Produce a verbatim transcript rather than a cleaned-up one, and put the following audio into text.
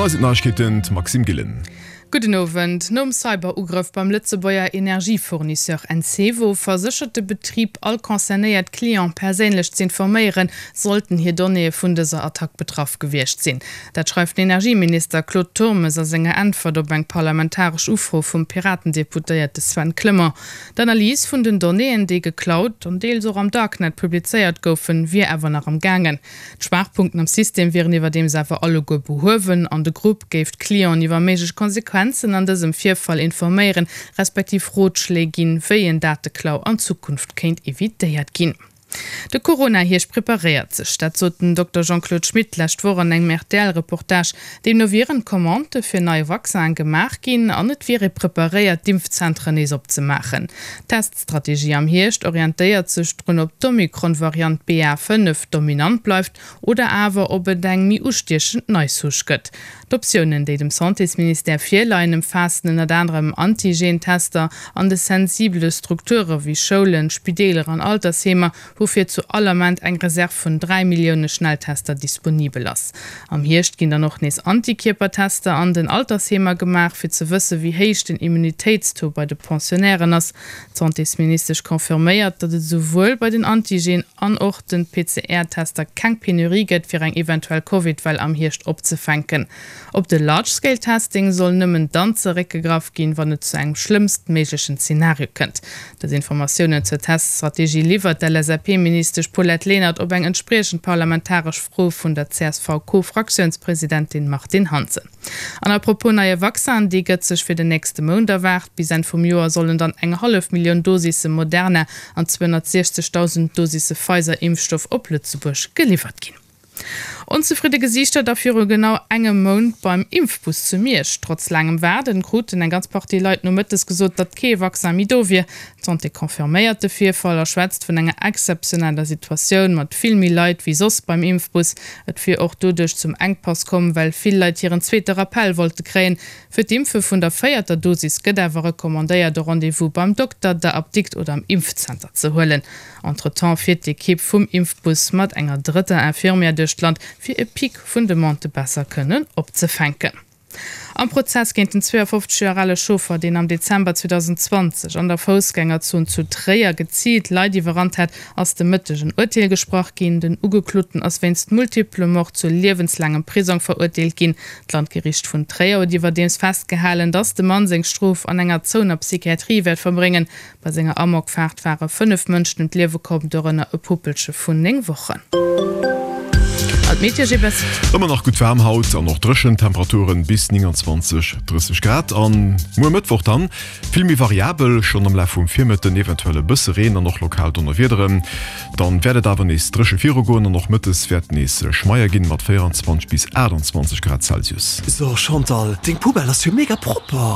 An hei sinn d'Neiegkeeten, d'Maxime Gillen. Gudden Owend. Nom Cyberugrëff beim Lëtzebuerger Energiefournisseur Encevo verséchert de Betrib all concernéiert Cliente perséinlech z'informéieren, sollten hir Donnéeë vun dëser Attack betraff gewiescht sinn. Dat schreift den Energieminister Claude Turmes a senger Äntwert op eng parlamentaresch Ufro vum Piraten-Deputéierte Sven Clement. D'Analys vun den Donnéeën, déi geklaut an deels och am Darknet publizéiert goufen, wier awer nach am gaangen. D'Schwaachpunkten am System wieren iwwerdeems awer alleguer behuewen an de Grupp géif d'Clienten iwwer méiglech Konsequenzen an dësem Virfall informéieren, respektiv Rotschléi ginn, wéi en Dateklau an Zukunft kéint evitéiert ginn. De Corona-Hierscht preparéiert sech. Dat sot den Dokter Jean-Claude Schmit d'lescht Woch an engem R T L-Reportage. Deemno wieren d'Commandë fir nei Vaccinen gemaach ginn an et wier ee preparéiert, d'Impfzentren nees opzemaachen. D'Teststrategie am Hierscht orientéiert sech drun, ob d'Omikron-Variant B A fënnef dominant bleift oder awer ob et eng méi ustiechend nei Souche gëtt. D'Optiounen, déi dem Santésministère virleien, ëmfaassen ënnert anerem Antigen-Tester an de sensibele Strukture wéi Schoulen, Spideeler an Altersheemer, woufir zu all Ament eng Reserv vun dräi Millioune Schnelltester disponibel ass. Am Hierscht ginn dann och nees Antikierpertester an den Altersheemer gemaach, fir ze wësse wéi héich den Immunitéitstaux bei de Pensionnairen ass. D'Santésministesch confirméiert, datt et esouwuel bei den Antigen an och de P C R-Tester keng Penurie gëtt, fir eng eventuell Covid-Well am Hierscht opzefänken. Op de Large-Scale-Testing soll nëmmen dann zeréckgegraff ginn, wann et zu engem schlëmmstméiglechen Zenario kënnt. Dës Informatiounen zur Teststrategie liwwert d'L S A P-Ministesch Paulette Lenert op eng entspriechend parlamentaresch Fro vun der C S V-Co-Fraktiounspresidentin Martine Hansen. An à propos neie Vaccin, dee gëtt sech fir den nächste Mount erwaart. Bis Enn vum Joer sollen dann eng hallef Millioun Dosisse Moderna an zweehonnertsechzegdausend Dosisse Pfizer-Impfstoff op Lëtzebuerg geliwwert ginn. Onzefridde Gesiichter da viru genau engem Mount beim Impfbus zu Miersch. Trotz laangem Waarden kruten eng ganz Partie Leit nomëttes gesot, datt kee Vaccin méi do wier. D'Santé confirméiert de Virfall a schwätzt vun enger exzeptioneller Situatioun mat vill méi Leit wéi soss beim Impfbus. Et wier och doduerch zum Enkpass komm, well vill Leit hiren zweete Rappel wollte kréien. Fir d'Impfe vun der véierter Dosis gëtt awer recommandéiert, e Rendez-vous beim Dokter, der Apdikt oder am Impfzenter ze huelen. Entretemps fiert d'Ekipp vum Impfbus mat enger drëtter Infirmière duerch d'Land, fir e Pic vun Demandë besser kënnen opzefänken. Am Prozess géint den zweeënfofzeg Joer ale Chauffer, deen am Dezember zweedausendenzwanzeg an der Foussgängerzon zu Tréier geziilt Leit iwwerrannt hat, ass de Mëtteg en Urteel gesprach ginn. Den Ugekloten ass wéinst multiplem Mord zu liewenslaangem Prisong verurteelt ginn. D'Landgeriicht vun Tréier huet iwwerdeems festgehalen, dass de Mann seng Strof an enger zouener Psychiatrie wäert verbréngen. Bei senger Amokfaart ware fënnef Mënschen ëm d'Liewe komm, dorënner e Puppelche vun néng Wochen. An d'Meteo G B S. Ëmmer nach gutt waarm haut an och dréchen, Temperaturen bis nénganzwanzeg, drësseg Grad. An muer Mëttwoch dann vill méi variabel, schonn am Laf vum Virmëtten eventuell e bësse Reen an och lokal Donnerwiederen. Dann wäert et awer nees dréche virugoen an och mëttes wäert nees schmeier ginn mat véierenzwanzeg bis aachtanzwanzeg Grad Celsius. So Chantal, deng Poubelle ass jo mega propper.